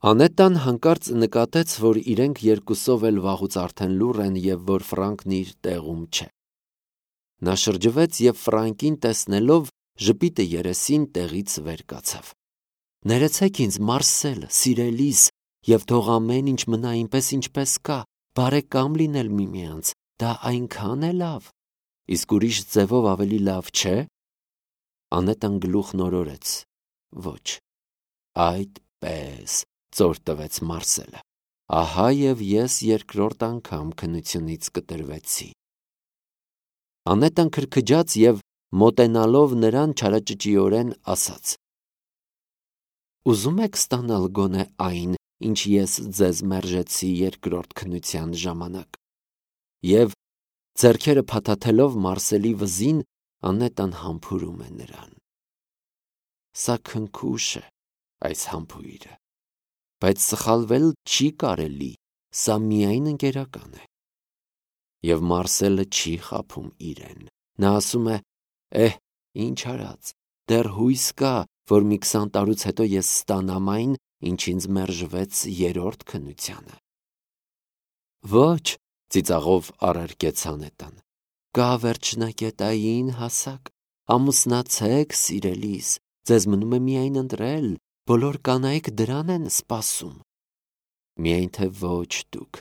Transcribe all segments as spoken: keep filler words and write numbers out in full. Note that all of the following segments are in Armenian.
Անետան հանկարծ նկատեց, որ իրենք երկուսով էլ վաղուց արդեն լուռ են և որ Ֆրանկն իր տեղում չէ։ Նա շրջվեց և Ֆրանկին տեսնելով ժպիտը երեսին տեղից վեր կացավ։ «Ներեցեք ինձ, Մարսել, սիրելիս, և թող ամեն ինչ մնա այնպես, ինչպես կա, բարեկամ լինել միմյանց, դա այնքան է լավ, իսկ ուրիշ ձևով ավելի լավ չէ»։ Անետան գլուխն օրորեց. «Ոչ»։ «Այդպես», ծոր տվեց Մարսելը, «ահա և ես երկրորդ անգամ քննությունից կտրվեցի»։ Անետան քրքջաց և մոտենալով նրան չարաճճիորեն ասաց. «Ուզում եք ստանալ գոնե այն, ինչ ես ձեզ մերժեցի երկրորդ քննության ժամանակ»։ Եվ ձեռքերը փաթաթելով Մարսելի վզին, Անետան համբուրում է նրան։ Սա քնքուշ է, այս համբույրը, բայց սխալվել չի կարելի, սա միայն ընկերական է։ Եվ Մարսելը չի խաբում իրեն։ Նա ասում է. «Էհ, ինչ արած, դեռ հույս կա, որ մի քսան տարուց հետո ես ստանամ այն, ինչ ինձ մերժվեց երրորդ քննությանը»։ «Ոչ», ծիծաղով առարկեց Անետան, «կա վերջնակետային հասակ, ամուսնացեք, սիրելիս, ձեզ մնում է միայն ընտրել, բոլոր կանայք դրան են սպասում»։ «Միայն թե ոչ դուք»։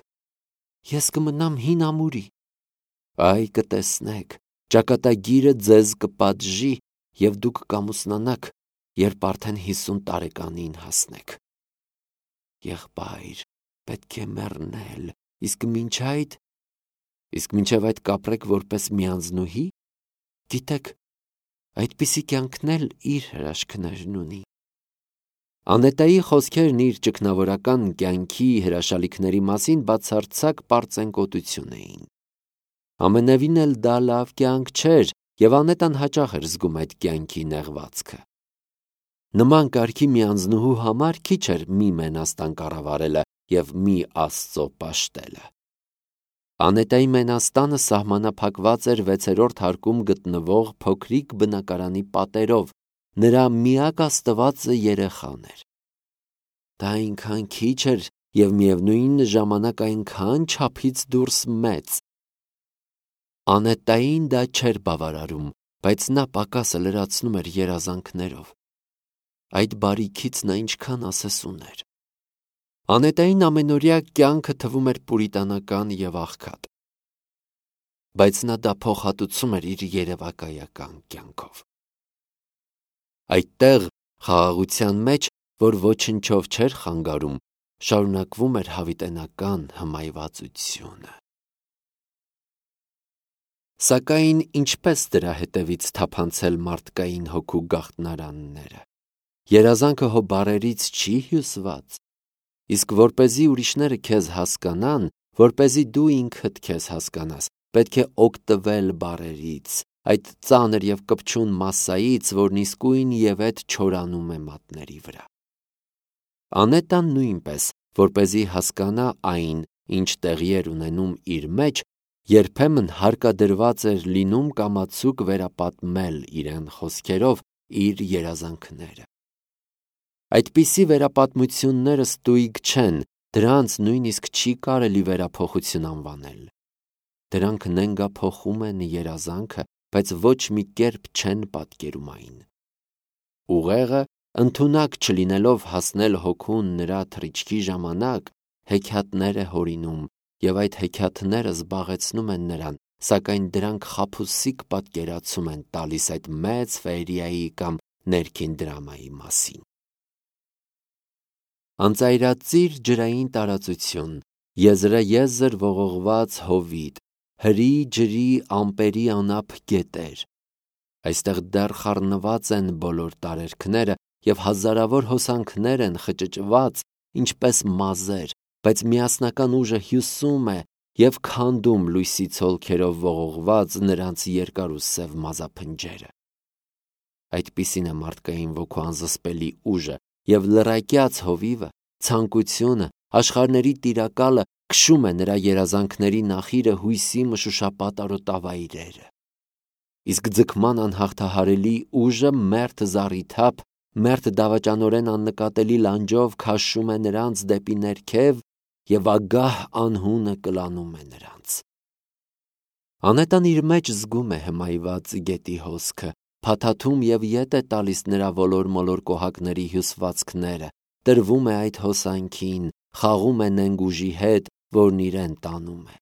«Ես կմնամ հին ամուրի»։ «Այ կտեսնեք, ճակատագիրը ձեզ կպատժի, և դուք կամուսնանաք, երբ արդեն հիսուն տարեկանին հասնեք»։ «Եղբայր, պետք է մեռնել, իսկ մինչ այդ»։ «Իսկ մինչև այդ կապրեք որպես միանձնուհի»։ «Գիտեք, այդպիսի կյանքն էլ իր հրաշքներն ունի»։ Անետայի խոսքերն իր ճգնավորական կյանքի հրաշալիքների մասին բացարձակ պարծենկոտություն էին։ Ամենևին էլ դա լավ կյանք չէր, և Անետան հաճախ էր զգում այդ կյանքի նեղվածքը։ Նման կարգի միանձնուհու համար քիչ էր մի մենաստան կառավարելը և մի Աստծո պաշտելը։ Անետայի մենաստանը սահմանափակված էր վեցերորդ հարկում գտնվող փոքրիկ բնակարանի պատերով, նրա միակ աստվածը երեխան էր։ Դա այնքան քիչ էր և միևնույն ժամանակ այնքան չափից դուրս մեծ։ Անետային դա չէր բավարարում, բայց նա պակասը լրացնում էր երազանքներով։ Այդ բարիքից նա ինչքան ասես ուներ։ Անետային ամենօրյա կյանքը թվում էր պուրիտանական և աղքատ, բայց նա դա փոխհատուցում էր իր երևակայական կյանքով։ Այդտեղ, խաղաղության մեջ, որ ոչնչով չէր խանգարում, շարունակվում էր հավիտենական հմայվածությունը։ Սակայն ինչպես դրա հետևից թափանցել մարդկային հոգու գաղտնարանները։ Երազանքը հո բառերից չի հյուսված։ Իսկ որպեսզի ուրիշները քեզ հասկանան, որպեսզի դու ինքդ քեզ հասկանաս, պետք է օգտվել բառերից, այդ ծանր և կպչուն մասսայից, որն իսկույն և էդ չորանում է մատների վրա։ Անետան նույնպես, որպեսզի հասկանա այն, ինչ տեղի էր ունենում իր մեջ, երբեմն հարկադրված էր լինում կամացուկ վերապատմել իրեն խոսքերով իր երազանքները։ Այդպիսի վերապատմությունները ստույգ չեն, դրանց նույնիսկ չի կարելի վերափոխություն անվանել։ Դրանք նենգափոխում են երազանքը, բայց ոչ մի կերպ չեն պատկերում այն։ Ուղեղը, ընդունակ չլինելով հասնել հոգուն նրա թռիչքի ժամանակ, հեքիաթներ է հորինում, և այդ հեքիաթները զբաղեցնում են նրան, սակայն դրանք խաբուսիկ պատկերացում են տալիս այդ մեծ ֆեերիայի կամ ներքին դրամայի մասին։ Անծայրածիր ջրային տարածություն, եզրաեզր ողողված հովիտ, հրի ջրի ամպերի անափ գետեր։ Այստեղ դեռ խառնված են բոլոր տարերքները և հազարավոր հոսանքներ են խճճված, ինչպես մազեր, բայց միասնական ուժը հյուսում է և քանդում լույսի ցոլքերով ողողված նրանց երկար ու սև մազափնջերը։ Այդպիսին է մարդկային ոգու անզսպելի ուժը, և լռակյաց հովիվը, ցանկությունը, աշխարհների տիրակալը քշում է նրա երազանքների նախիրը հույսի մշուշապատ արոտավայրերը։ Իսկ ձգման անհաղթահարելի ուժը մերթ զառիթափ մերթ դավաճանորեն աննկատելի լանջով քաշում է նրանց դեպի ներքև և ագահ անհունը կլանում է նրանց։ Անետան իր մեջ զգում է հմայված գետի հոսքը, փաթաթում և ետ է տալիս նրա ոլոր-մոլոր կոհակների հյուսվածքները, տրվում է այդ հոսանքին, խաղում է նենգ ուժի հետ, որն իրեն տանում է։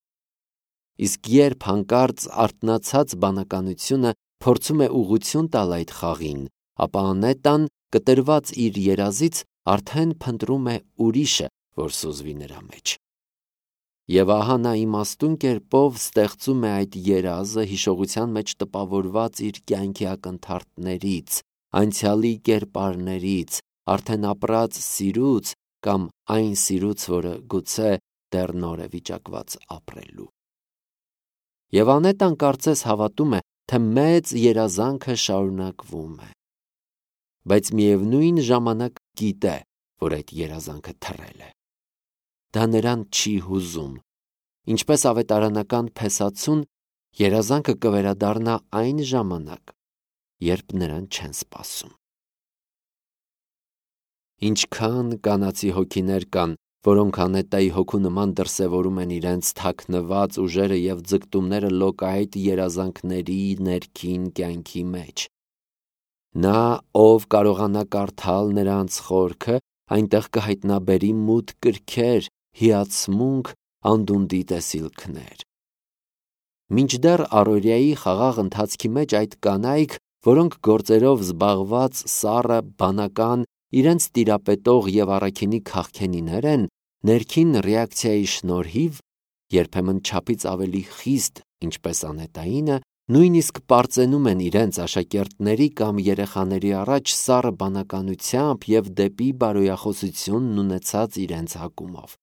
Իսկ երբ հանկարծ արթնացած բանականությունը փորձում է ուղղություն տալ այդ խաղին, ապա Անետան, կտրված իր երազից, արդեն փնտրում է ուրիշը, որ սուզվի նրա մեջ։ Եվ ահա նա իմաստուն կերպով ստեղծում է այդ երազը հիշողության մեջ տպավորված իր կյանքի ակնթարթներից, անցյալի կերպարներից, արդեն ապրած սիրուց կամ այն սիրուց, որը գուցե դեռ նոր է վիճակված ապրելու։ Եվ Անետան կարծես հավատում է, թե մեծ երազանքը շարունակվում է, բայց միևնույն ժամանակ գիտե, որ այդ երազանքը թռել է։ Դա նրան չի հուզում։ Ինչպես ավետարանական փեսացուն, երազանքը կվերադառնա այն ժամանակ, երբ նրան չեն սպասում։ Ինչքան կանացի հոգիներ կան, որոնք Անետայի հոգու նման դրսևորում են իրենց թաքնված ուժերը և ձգտումները լոկայտ երազանքների ներքին կյանքի մեջ։ Նա, ով կարողանա կարդալ նրանց խորքը, այնտեղ կհայտնաբերի մութ կրքեր, հիացմունք, անդունդի տեսիլքներ։ Մինչդեռ առօրյայի խաղաղ ընթացքի մեջ այդ կանայք, որոնք գործերով զբաղված սառը, բանական, իրենց տիրապետող և առաքինի քաղքենիներ են, ներքին ռեակցիայի շնորհիվ երբեմն չափից ավելի խիստ, ինչպես Անետայինը, նույնիսկ պարծենում են իրենց աշակերտների կամ երեխաների առաջ սառը բանականությամբ և դեպի բարոյախոսությունն ունեցած իրենց հակումով։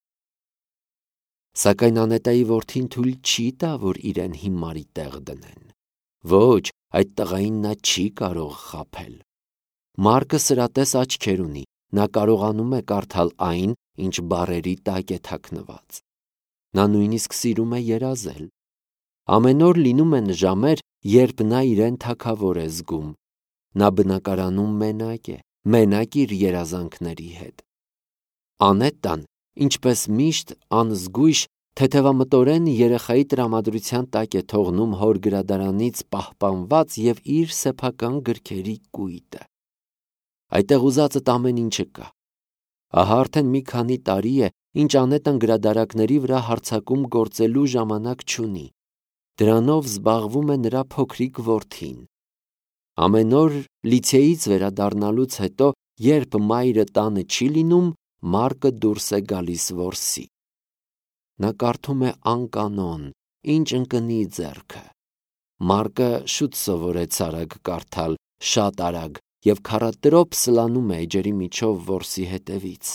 Սակայն Անետայի որդին թույլ չի տա, որ իրեն հիմարի տեղ դնեն։ Ոչ, այդ տղային նա չի կարող խաբել։ Մարկը սրատես աչքեր ունի, նա կարողանում է կարդալ այն, ինչ բառերի տակ է թաքնված։ Նա նույնիսկ սիրում է երազել։ Ամեն օր լինում են ժամեր, երբ նա իրեն թագավոր է զգում։ Նա բնակարանում մենակ է, մենակ իր երազանքների հետ։ Անետան, ինչպես միշտ, անզգույշ, թեթևամտորեն երեխայի տրամադրության տակ է թողնում հոր գրադարանից պահպանված և իր սեփական գրքերի կույտը։ Այդտեղ ուզածդ ամեն ինչը կա։ Ահա արդեն մի քանի տարի է, ինչ Անետան գրադարակների վրա հարձակում գործելու ժամանակ չունի։ Դրանով զբաղվում է նրա փոքրիկ որդին։ Ամեն օր լիցեից վերադառնալուց հետո, երբ մայրը տանը չի լինում, Մարկը դուրս է գալիս որսի։ Նա կարդում է անկանոն, ինչ ընկնի ձեռքը։ Մարկը շուտ սովորեց արագ կարդալ, շատ արագ, և քառատրոփ սլանում է էջերի միջով որսի հետևից։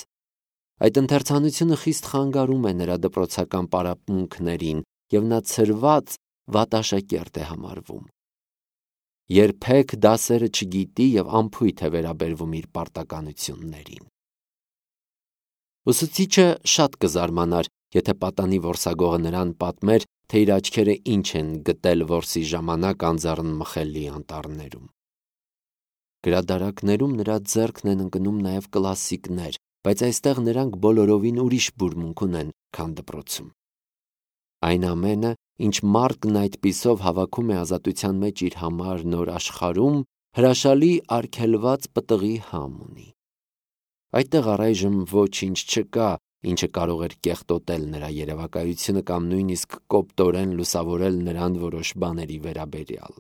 Այդ ընթերցանությունը խիստ խանգարում է նրա դպրոցական պարապմունքներին, և նա ցրված, վատ աշակերտ է համարվում։ Երբեք դասերը չգիտի և անփույթ է վերաբերվում իր պարտականություններին։ Ուսուցիչը շատ կզարմանար, եթե պատանի որսագողը նրան պատմեր, թե իր աչքերը ինչ են գտել որսի ժամանակ անձեռն մխելի անտառներում։ Գրադարակներում նրա ձեռքն են ընկնում նաև կլասիկներ, բայց այստեղ նրանք բոլորովին ուրիշ բուրմունք ունեն, քան դպրոցում։ Այն ամենը, ինչ Մարկն այդպիսով հավաքում է ազատության մեջ իր համար նոր աշխարհում, հրաշալի արգելված պտղի համ ունի։ Այդտեղ առայժմ ոչինչ չկա, ինչը կարող էր կեղտոտել նրա երևակայությունը կամ նույնիսկ կոպտորեն լուսավորել նրան որոշ բաների վերաբերյալ։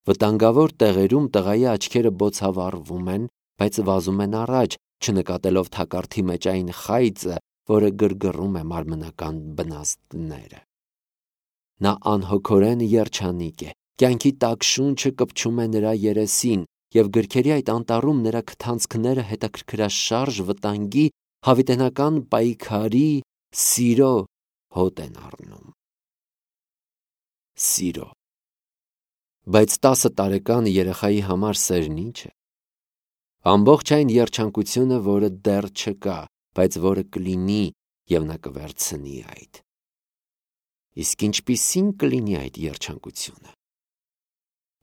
Վտանգավոր տեղերում տղայի աչքերը բոցավառվում են, բայց վազում են առաջ, չնկատելով թակարդի մեջ այն խայծը, որը գրգռում է մարմնական բնազդները։ Նա անհոգորեն երջանիկ է, կյանքի տաք շունչը կպչում է նրա երեսին, և գրքերի այդ անտառում նրա քթանցքները հետաքրքրաշարժ վտանգի, հավիտենական պայքարի, սիրո հոտ են առնում։ Սիրո։ Բայց տասը տարեկան երեխայի համար սերն ի՞նչ է։ Ամբողջ այն երջանկությունը, որը դեռ չկա, բայց որը կլինի, և նա կվերցնի այդ։ Իսկ ինչպիսի՞ն կլինի այդ երջանկությունը։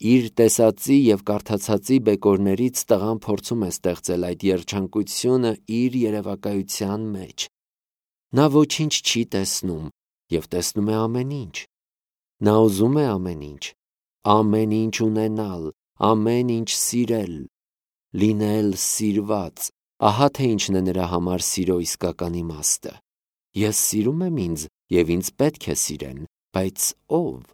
Իր տեսածի և կարդացածի բեկորներից տղան փորձում է ստեղծել այդ երջանկությունը իր երևակայության մեջ։ Նա ոչինչ չի տեսնում և տեսնում է ամեն ինչ։ Նա ուզում է ամեն ինչ, ամեն ինչ ունենալ, ամեն ինչ սիրել, լինել սիրված։ Ահա թե ինչն է նրա համար սիրո իսկական իմաստը։ Ես սիրում եմ ինձ և ինձ պետք է սիրեն, բայց ո՞վ։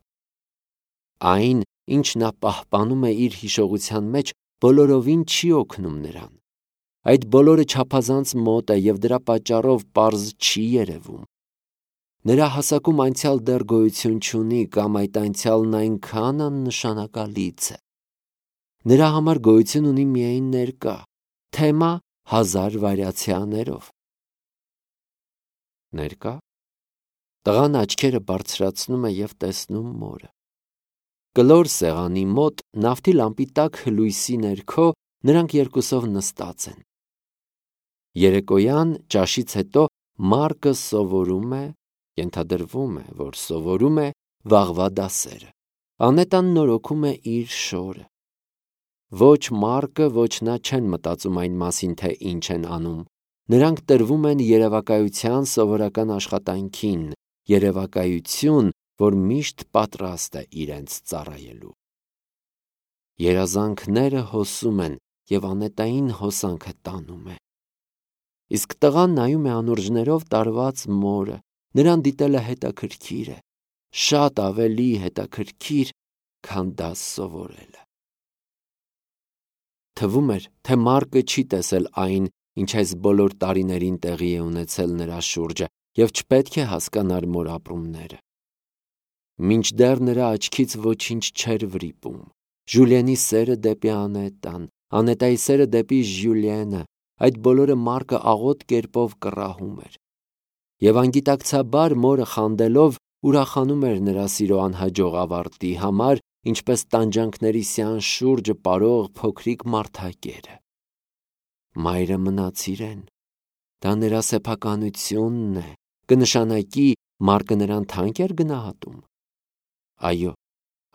Այն, ինչ նա պահպանում է իր հիշողության մեջ, բոլորովին չի օգնում նրան։ Այդ բոլորը չափազանց մոտ է և դրա պատճառով պարզ չի երևում։ Նրա հասակում անցյալ դեռ գոյություն չունի կամ այդ անցյալն այնքան աննշանակալից է։ Նրա համար գոյություն ունի միայն ներկա, թեմա հազար վարիացիաներով։ Ներկա։ Տղան աչքերը բարձրացնում է և տեսնում մորը։ Կլոր սեղանի մոտ նավթի լամպի տաք լույսի ներքո նրանք երկուսով նստած են։ Երեկոյան ճաշից հետո Մարկը սովորում է, ենթադրվում է, որ սովորում է վաղվա դասերը։ Անետան նորոգում է իր շորը։ Ոչ Մարկը, ոչ նա չեն մտածում այն մասին, թե ինչ են անում։ Նրանք տրվում են երևակայության սովորական աշխատանքին, երևակայություն, որ միշտ պատրաստ է իրենց ծառայելու։ Երազանքները հոսում են և անետային հոսանքը տանում է։ Իսկ տղան նայում է անուրջներով տարված մորը, նրան դիտելը հետաքրքիր է, շատ ավելի հետաքրքիր, քան դաս սովորելը։ Թվում էր, թե Մարկը չի տեսել այն, ինչ այս բոլոր տարիներին տեղի է ունեցել նրա շուրջը և չպետք է հասկանար մոր ապրումները։ Մինչդեռ նրա աչքից ոչինչ չէր վրիպում։ Ժուլիենի սերը դեպի Անետան, Անետայի սերը դեպի Ժյուլիենը, այդ բոլորը Մարկը աղոտ կերպով կռահում էր։ Եվ անգիտակցաբար մորը խանդելով ուրախանում էր նրա սիրո անհաջող ավարտի համար, ինչպես տանջանքների սյան շուրջը պարող փոքրիկ մարդակերը։ Մայրը մնաց իրեն։ Դա նրա սեփականությունն է, կնշանակի Մարկը նրան թանկ էր գնահատում։ Այո,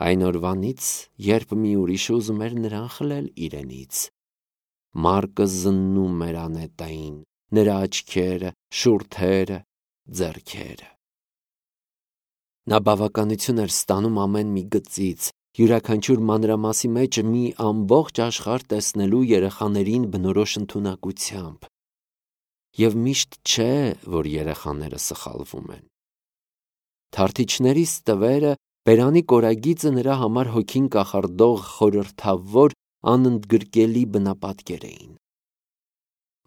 այն օրվանից, երբ մի ուրիշը ուզում էր նրան խլել իրենից։ Մարկը զննում էր Անետային, նրա աչքերը, շուրթերը, ձեռքերը։ Նա բավականություն էր ստանում ամեն մի գծից, յուրաքանչյուր մանրամասի մեջ մի ամբողջ աշխարհ տեսնելու երեխաներին բնորոշ ընդունակությամբ։ Եվ միշտ չէ, որ երեխաները սխալվում են։ Թարթիչների ստվերը, բերանի կորագիծը նրա համար հոգին կախարդող խորհրդավոր, անընդգրկելի բնապատկեր էին։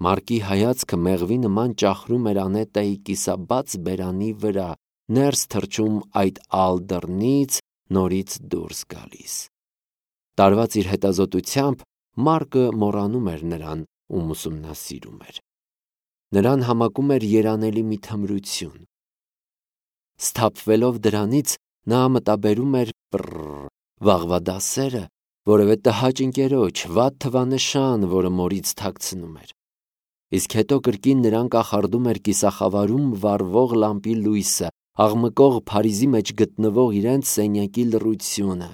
Մարկի հայացքը մեղվի նման ճախրում էր Անետայի կիսաբաց բերանի վրա, ներս թռչում այդ ալ դռնից, նորից դուրս գալիս։ Տարված իր հետազոտությամբ Մարկը մոռանում էր նրան, ում ուսումնասիրում էր։ Նրան համակում էր երանելի մի թմրություն։ Սթափվելով դրանից, նա մտաբերում էր պռ վաղվա դասերը, որևէ տհաճ ընկերոջ, վատ թվանշան, որը մորից թաքցնում էր։ Իսկ հետո կրկին նրան կախարդում էր կիսախավարում վառվող լամպի լույսը, աղմկող Փարիզի մեջ գտնվող իրենց սենյակի լռությունը։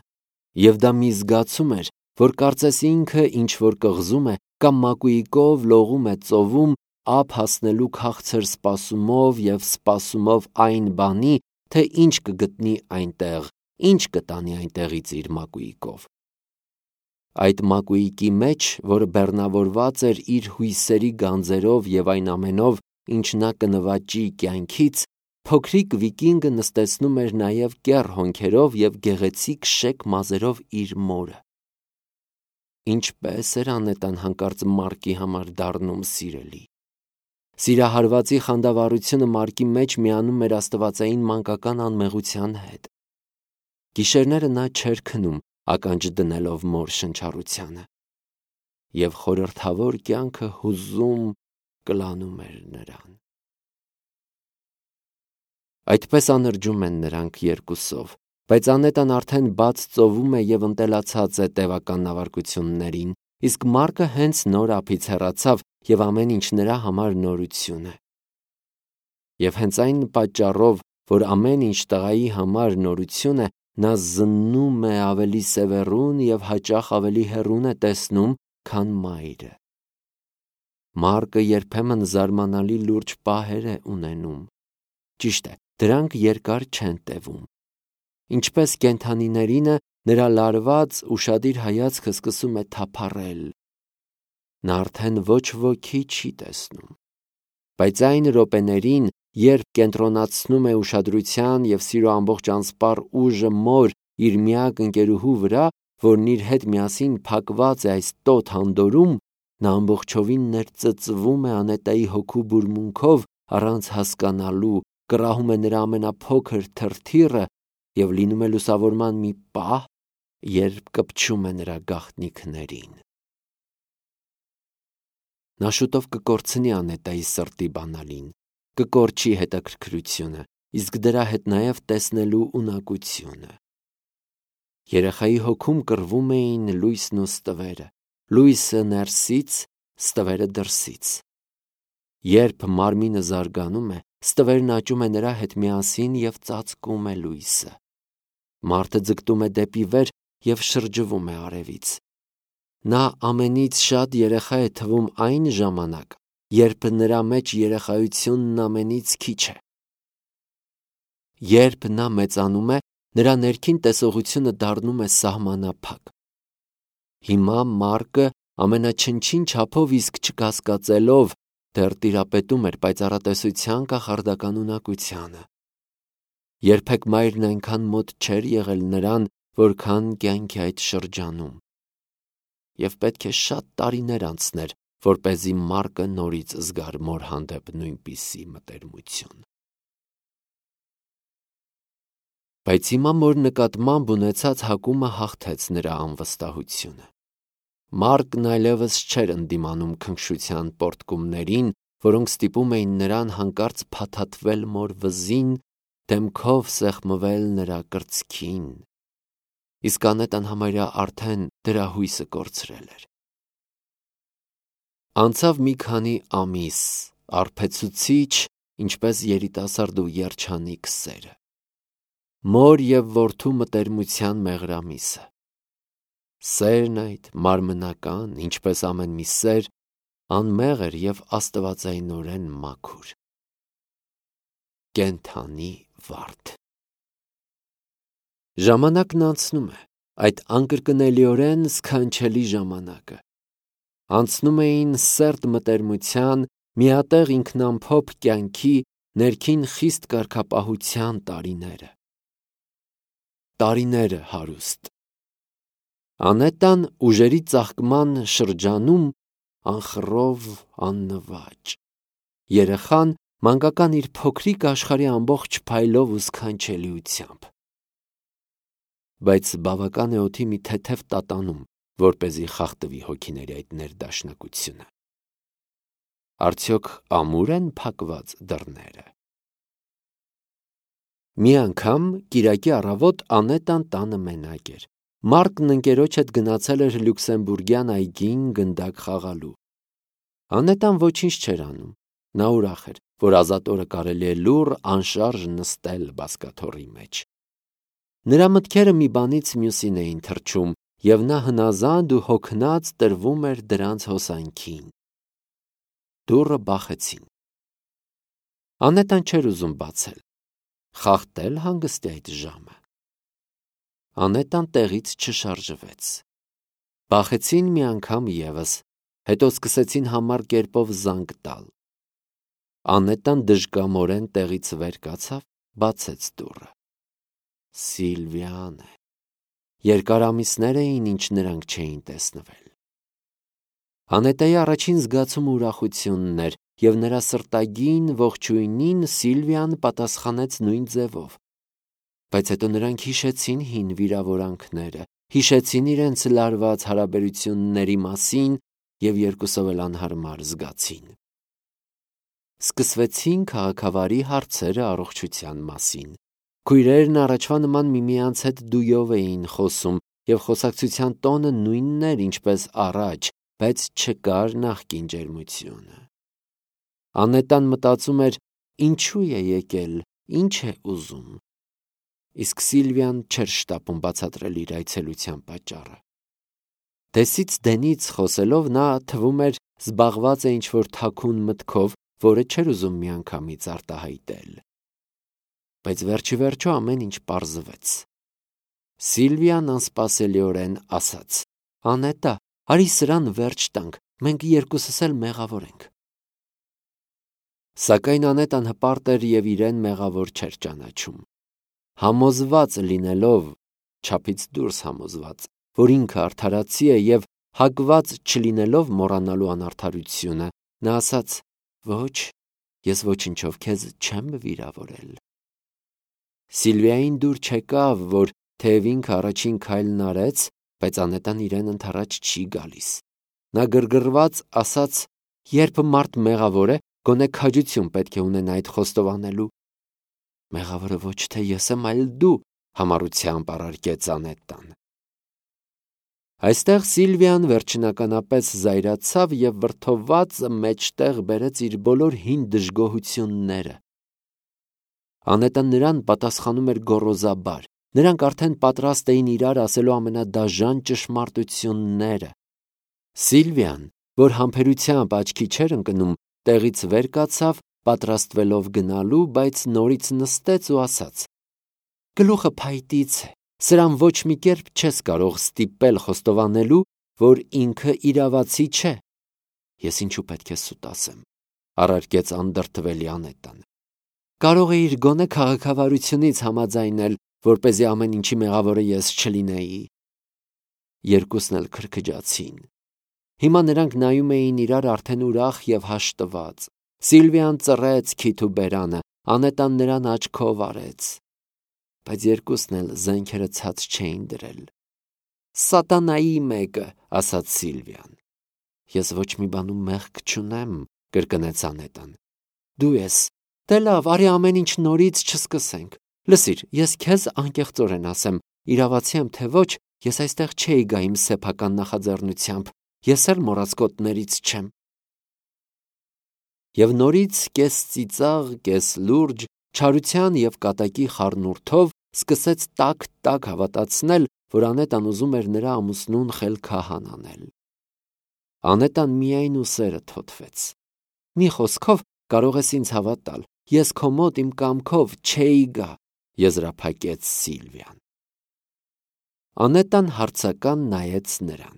Եվ դա մի զգացում էր, որ կարծես ինքը ինչ-որ կղզում է կամ մակույկով լողում է ծովում, ափ հասնելու քաղցր սպասումով և սպասումով այն բանի, թե ինչ կգտնի այնտեղ, ինչ կտանի այնտեղից իր մակույկով։ Այդ մակույկի մեջ, որը բեռնավորված էր իր հույսերի գանձերով և այն ամենով, ինչ նա կնվաճի կյանքից, փոքրիկ վիկինգը նստեցնում էր նաև կեռ հոնքերով և գեղեցիկ շեկ մազերով իր մորը։ Ինչպես էր Անետան հանկարծ Մարկի համար դառնում սիրելի։ Սիրահարվածի խանդավառությունը Մարկի մեջ միանում էր աստվածային մանկական անմեղության հետ։ Գիշերները նա չէր քնում, ականջ դնելով մոր շնչառությանը։ Եվ խորհրդավոր կյանքը հուզում կլանում էր նրան։ Այդպես անրջում են նրանք երկուսով, բայց Անետան արդեն բաց ծովում է և ընտելացած է տևական նավարկություններին, իսկ Մարկը հենց նոր ափից հեռացավ և ամեն ինչ նրա համար նորություն է։ Եվ հենց այն պատճառով, որ ամեն ինչ տղայի համար նորություն է, նա զննում է ավելի սևեռուն և հաճախ ավելի հեռուն է տեսնում, քան մայրը։ Մարկը երբեմն զարմանալի լուրջ պահեր է ունենում։ Ճիշտ է, դրանք երկար չեն տևում։ Ինչպես կենդանիներինը, նրա լարված, ուշադիր հայացքը սկսում է թափառել։ Նա արդեն ոչ ոքի չի տեսնում։ Բայց այն րոպեներին, երբ կենտրոնացնում է ուշադրության և սիրո ամբողջ անսպառ ուժը մոր իր միակ ընկերուհու վրա, որն իր հետ միասին փակված է այս տոտ հանդորում, նա ամբողջովին ներծծվում է Անետայի հոգու բուրմունքով առանց հասկանալու, կռահում է նրա ամենափոքր թրթիռը և լինում է լուսավորման մի պահ, երբ կպչում է նրա գաղտնիքներին։ Նա շուտով կկորցնի Անետայի սրտի բանալին, կկորչի հետաքրքրությունը, իսկ դրա հետ նաև տեսնելու ունակությունը։ Երեխայի հոգում կռվում էին լույսն ու ստվերը, լույսը ներսից, ստվերը դրսից։ Երբ մարմինը զարգանում է, ստվերն աճում է նրա հետ միասին և ծածկում է լույսը։ Մարդը ձգտում է դեպի վեր և շրջվում է արևից։ Նա ամենից շատ երեխա է թվում այն ժամանակ, երբ նրա մեջ երեխայությունն ամենից քիչ է։ Երբ նա մեծանում է, նրա ներքին տեսողությունը դառնում է սահմանափակ։ Հիմա Մարկը ամենաչնչին չափով իսկ չկասկածելով դեռ տիրապետում էր պայծառատեսության կախարդական ունակությանը։ Երբեք մայրն այնքան մոտ չէր եղել նրան, որքան կյանքի այդ շրջանում։ Եվ պետք է շատ տարիներ անցներ, որպեսզի Մարկը նորից զգար մոր հանդեպ նույնպիսի մտերմություն։ Բայց հիմա մոր նկատմամբ ունեցած հակումը հաղթեց նրա անվստահությունը։ Մարկն այլևս չէր ընդդիմանում քնքշության պոռթկումներին, որոնք ստիպում էին նրան հանկարծ փաթաթվել մոր վզին, դեմքով սեղմվել նրա կրծքին։ Իսկ Անետան համարյա արդեն դրա հույսը կորցրել էր։ Անցավ մի քանի ամիս, արբեցուցիչ, ինչպես երիտասարդ ու երջանիկ սերը։ Մոր և որդու մտերմության մեղրամիսը։ Սերն այդ մարմնական, ինչպես ամեն մի սեր, անմեղր և աստվածայնորեն մաքուր։ Կենդանի վարդ։ Ժամանակն անցնում է, այդ անկրկնելիորեն սքանչելի ժամանակը։ Անցնում էին սերտ մտերմության, միատեղ ինքնամփոփ կյանքի, ներքին խիստ կարգապահության տարիները։ Տարիները հարուստ։ Անետան ուժերի ծաղկման շրջանում անխռով, աննվաճ։ Երեխան մանկական իր փոքրիկ աշխարհի ամբողջ փայլով ու սքանչելիությամբ։ Բայց բավական է օդի մի թեթև տատանում, որպեսզի խախտվի հոգիների այդ ներդաշնակությունը։ Արդյոք ամուր են փակված դռները։ Մի անգամ կիրակի առավոտ Անետան տանը մենակ էր։ Մարկն ընկերոջ հետ գնացել էր Լյուքսեմբուրգյան այգին գնդակ խաղալու։ Անետան ոչինչ չէր անում։ Նա ուրախ էր, որ ազատ օրը կարելի է լուռ անշարժ նստել բազկաթոռի մեջ։ Նրա մտքերը մի բանից մյուսին էին թռչում, և նա հնազանդ ու հոգնած տրվում էր դրանց հոսանքին։ Դուռը բախեցին։ Անետան չէր ուզում բացել։ Խախտել հանգստի այդ ժամը։ Անետան տեղից չշարժվեց։ Բախեցին մի անգամ ևս, հետո սկսեցին համառ կերպով զանգ տալ։ Անետան դժկամորեն տեղից վեր կացավ, բացեց դուռը։ Սիլվիան է։ Երկար ամիսներ էին, ինչ նրանք չէին տեսնվել։ Անետայի առաջին զգացումը ուրախությունն էր, և նրա սրտագին ողջույնին Սիլվիան պատասխանեց նույն ձևով։ Բայց հետո նրանք հիշեցին հին վիրավորանքները, հիշեցին իրենց լարված հարաբերությունների մասին և երկուսով էլ անհարմար զգացին։ Սկսվեցին քաղաքավարի հարցերը առողջության մասին։ Քույրերն առաջվա նման միմյանց հետ դույով էին խոսում, և խոսակցության տոնը նույնն էր, ինչպես առաջ, բայց չկար նախկին ջերմությունը։ Անետան մտածում էր. ինչու է եկել, ինչ է ուզում։ իսկ Սիլվիան չէր շտապում բացատրել իր այցելության պատճառը։ Դեսից դենից խոսելով նա թվում էր զբաղված է ինչ-որ թաքուն մտքով, որը չէր ուզում միանգամից արտահայտել։ Բայց վերջի վերջո ամեն ինչ պարզվեց։ Սիլվիան անսպասելիորեն ասաց. «Անետա, արի սրան վերջ տանք, մենք երկուսս էլ մեղավոր ենք»։ Սակայն Անետան հպարտ էր և իրեն մեղավոր չէր ճանաչում։ Համոզված լինելով, չափից դուրս համոզված, որ ինքը արդարացի է և հակված չլինելով մոռանալու անարդարությունը, նա ասաց. «Ոչ, ես ոչնչով քեզ չեմ վիրավորել»։ Սիլվիային դուր չեկավ, որ թեև ինքը առաջին քայլն արեց, բայց Անետան իրեն ընդառաջ չի գալիս։ Նա գրգռված ասաց. «Երբ մարդ մեղավոր է, գոնե քաջություն պետք է ունենա այդ խոստովանելու»։ «Մեղավորը ոչ թե ես եմ, այլ դու», համառությամբ առարկեց Անետան։ Այստեղ Սիլվիան վերջնականապես զայրացավ և վրդովված մեջտեղ բերեց իր բոլոր հին դժգոհությունները։ Անետան նրան պատասխանում էր գոռոզաբար։ Նրանք արդեն պատրաստ էին իրար ասելու ամենադաժան ճշմարտությունները։ Սիլվիան, որ համբերությամբ աչքի չէր ընկնում, տեղից վեր կացավ, պատրաստվելով գնալու, բայց նորից նստեց ու ասաց. «Գլուխը փայտից է, սրան ոչ մի կերպ չես կարող ստիպել խոստովանելու, որ ինքը իրավացի չէ»։ «Ես ինչու պետք է սուտ ասեմ», առարկեց անդրդվելի Անետան։ «Կարող էիր գոնե քաղաքավարությունից համաձայնել, որպեսզի ամեն ինչի մեղավորը ես չլինեի»։ Երկուսն էլ քրքջացին։ Հիմա նրանք նայում էին իրար արդեն ուրախ և հաշտված։ Սիլվիան ծռեց քիթ ու բերանը, Անետան նրան աչքով արեց։ Բայց երկուսն էլ զենքերը ցած չէին դրել։ «Սատանայի մեկը», ասաց Սիլվիան։ «Ես ոչ մի բանում մեղք չունեմ», կրկնեց Անետան։ «Դու ես։ Դե լավ, արի ամեն ինչ նորից չսկսենք։ Լսիր, ես քեզ անկեղծորեն ասեմ, իրավացի եմ թե ոչ, ես այստեղ չէի գա իմ սեփական նախաձեռնությամբ, ես էլ մոռացկոտներից չեմ»։ Եվ նորից կես ծիծաղ, կես լուրջ, չարության և կատակի խառնուրդով սկսեց տաք-տաք հավատացնել, որ Անետան ուզում էր նրա ամուսնուն խելքահան անել։ Անետան միայն ուսերը թոթվեց։ «Մի խոսքով կարող ես ինձ հավատալ, ես քո մոտ իմ կամքով չէի գա», եզրափակեց Սիլվիան։ Անետան հարցական նայեց նրան։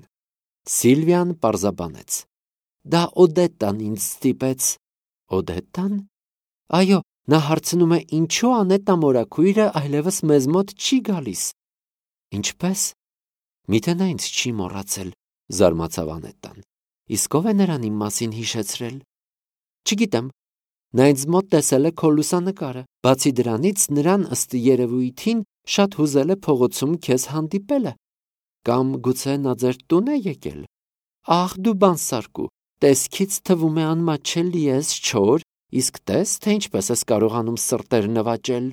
Սիլվիան պարզաբանեց. «Դա Օդետան ինձ ստիպեց»։ «Օդետան»։ Այո, նա հարցնում է, ինչու Անետա մորաքույրը այլևս մեզ մոտ չի գալիս։ Ինչպե՞ս։ Միթե նա ինձ չի մոռացել, զարմացավ Անետան։ Իսկ ով է նրան իմ մասին հիշեցրել։ Չգիտեմ։ Նա ինձ մոտ տեսել է քո լուսանկարը։ Բացի դրանից, նրան ըստ երևույթին շատ հուզել է փողոցում քեզ հանդիպելը։ Կամ գուցե նա ձեր տուն է եկել։ Ահ, դու բանսարկու, տեսքից թվում է անմաչելի ես, չոր, իսկ տես, թե ինչպես ես կարողանում սրտեր նվաճել։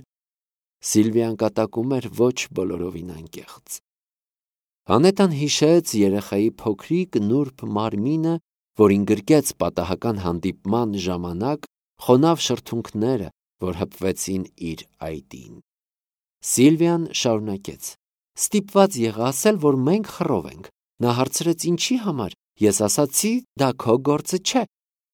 Սիլվիան կատակում էր ոչ բոլորովին անկեղծ։ Անետան հիշեց երեխայի փոքրիկ նուրբ մարմինը, որին գրկեց պատահական հանդիպման ժամանակ, խոնավ շրթունքները, որ հպվեցին իր այտին։ Սիլվիան շարունակեց. Ստիպված եղա ասել, որ մենք խռով ենք։ Նա հարցրեց ինչի համար, ես ասացի, դա քո գործը չէ,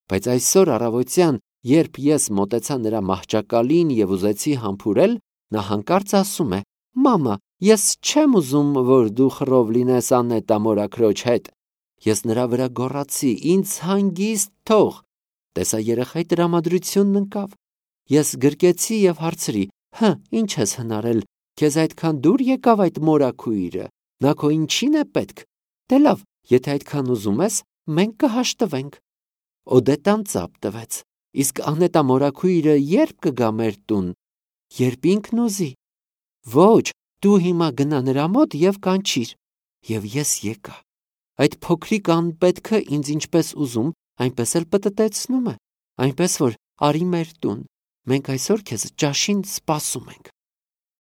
բայց այսօր առավոտյան, երբ ես մոտեցա նրա մահճակալին և ուզեցի համբուրել, նա հանկարծ ասում է. «Մամա, ես չեմ ուզում, որ դու խռով լինես Անետա մորաքրոջ հետ»։ Ես նրա վրա գոռացի. «Ինձ հանգիստ թող»։ Տեսա երեխայի տրամադրությունն ընկավ։ Ես գրկեցի և հարցրի. «Հը, ինչ ես հնարել, քեզ այդքան դուր եկավ այդ մորաքույրը, նա քո ինչին է պետք։ Դե լավ, եթե այդքան ուզում ես, մենք կհաշտվենք»։ Օդետան ծափ տվեց։ Իսկ Անետա մորաքույրը ե՞րբ կգա մեր տուն։ Երբ ինքն ուզի։ Ոչ, դու հիմա գնա նրա մոտ և կանչիր։ Եվ ես եկա։ Այդ փոքրիկ անպետքը ինձ ինչպես ուզում, այնպես էլ պտտեցնում է, այնպես որ արի մեր տուն։ Մենք այսօր քեզ ճաշին սպասում ենք։